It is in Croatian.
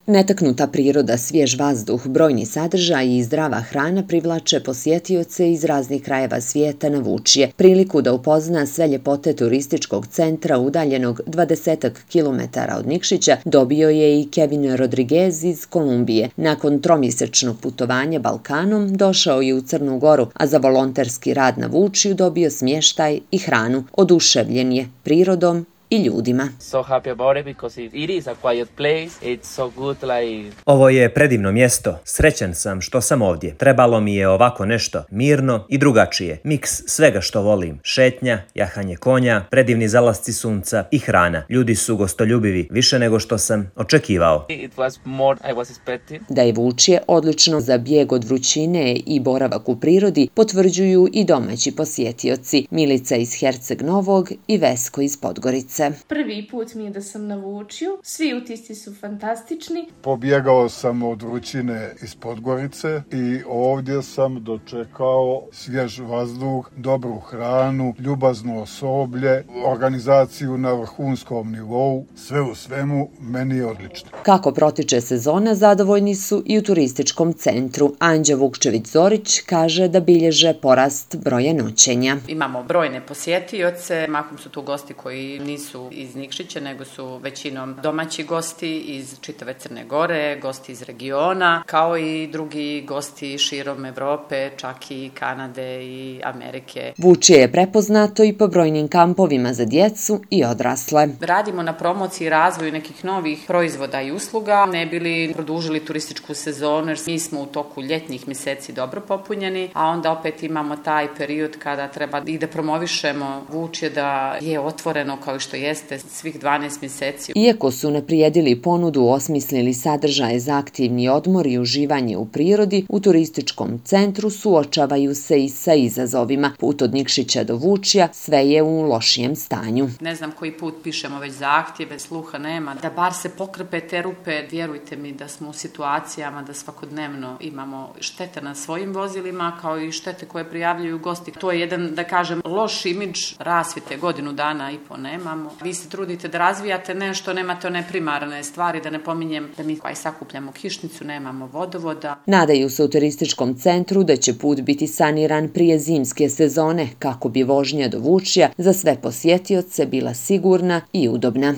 Netaknuta priroda, svjež vazduh, brojni sadržaji i zdrava hrana privlače posjetioce iz raznih krajeva svijeta na Vučje. Priliku da upozna sve ljepote turističkog centra udaljenog 20 kilometara od Nikšića dobio je i Kevin Rodriguez iz Kolumbije. Nakon tromjesečnog putovanja Balkanom došao je u Crnu Goru, a za volonterski rad na Vučju dobio smještaj i hranu. Oduševljen je prirodom i ljudima. Ovo je predivno mjesto. Srećan sam što sam ovdje. Trebalo mi je ovako nešto, mirno i drugačije. Miks svega što volim. Šetnja, jahanje konja, predivni zalasci sunca i hrana. Ljudi su gostoljubivi, više nego što sam očekivao. Da je Vučje odlično za bijeg od vrućine i boravak u prirodi potvrđuju i domaći posjetioci. Milica iz Herceg Novog i Vesko iz Podgorice. Prvi put mi je da sam na Vučju, svi utisci su fantastični. Pobjegao sam od vrućine iz Podgorice i ovdje sam dočekao svjež vazduh, dobru hranu, ljubazno osoblje, organizaciju na vrhunskom nivou. Sve u svemu meni je odlično. Kako protiče sezona, zadovoljni su i u turističkom centru. Anđa Vukčević-Zorić kaže da bilježe porast broja noćenja. Imamo brojne posjetioce, mahom su tu gosti koji nisu iz Nikšića, nego su većinom domaći gosti iz čitave Crne Gore, gosti iz regiona, kao i drugi gosti širom Evrope, čak i Kanade i Amerike. Vučje je prepoznato i po brojnim kampovima za djecu i odrasle. Radimo na promociji i razvoju nekih novih proizvoda i usluga, ne bili produžili turističku sezonu, jer mi smo u toku ljetnih mjeseci dobro popunjeni, a onda opet imamo taj period kada treba i da promovišemo Vučje da je otvoreno kao što jeste svih 12 mjeseci. Iako su unaprijedili ponudu, osmislili sadržaje za aktivni odmor i uživanje u prirodi, u turističkom centru suočavaju se i sa izazovima. Put od Nikšića do Vučja sve je u lošijem stanju. Ne znam koji put pišemo već zahtjeve, sluha nema. Da bar se pokrpe te rupe, vjerujte mi da smo u situacijama da svakodnevno imamo štete na svojim vozilima, kao i štete koje prijavljuju gosti. To je jedan, da kažem, loš imidž. Rasvjete godinu dana i po nemamo. Vi se trudite da razvijate nešto, nemate one primarne stvari, da ne pominjem da mi koji sakupljamo kišnicu, nemamo vodovoda. Nadaju se u turističkom centru da će put biti saniran prije zimske sezone, kako bi vožnja do Vučja za sve posjetioce bila sigurna i udobna.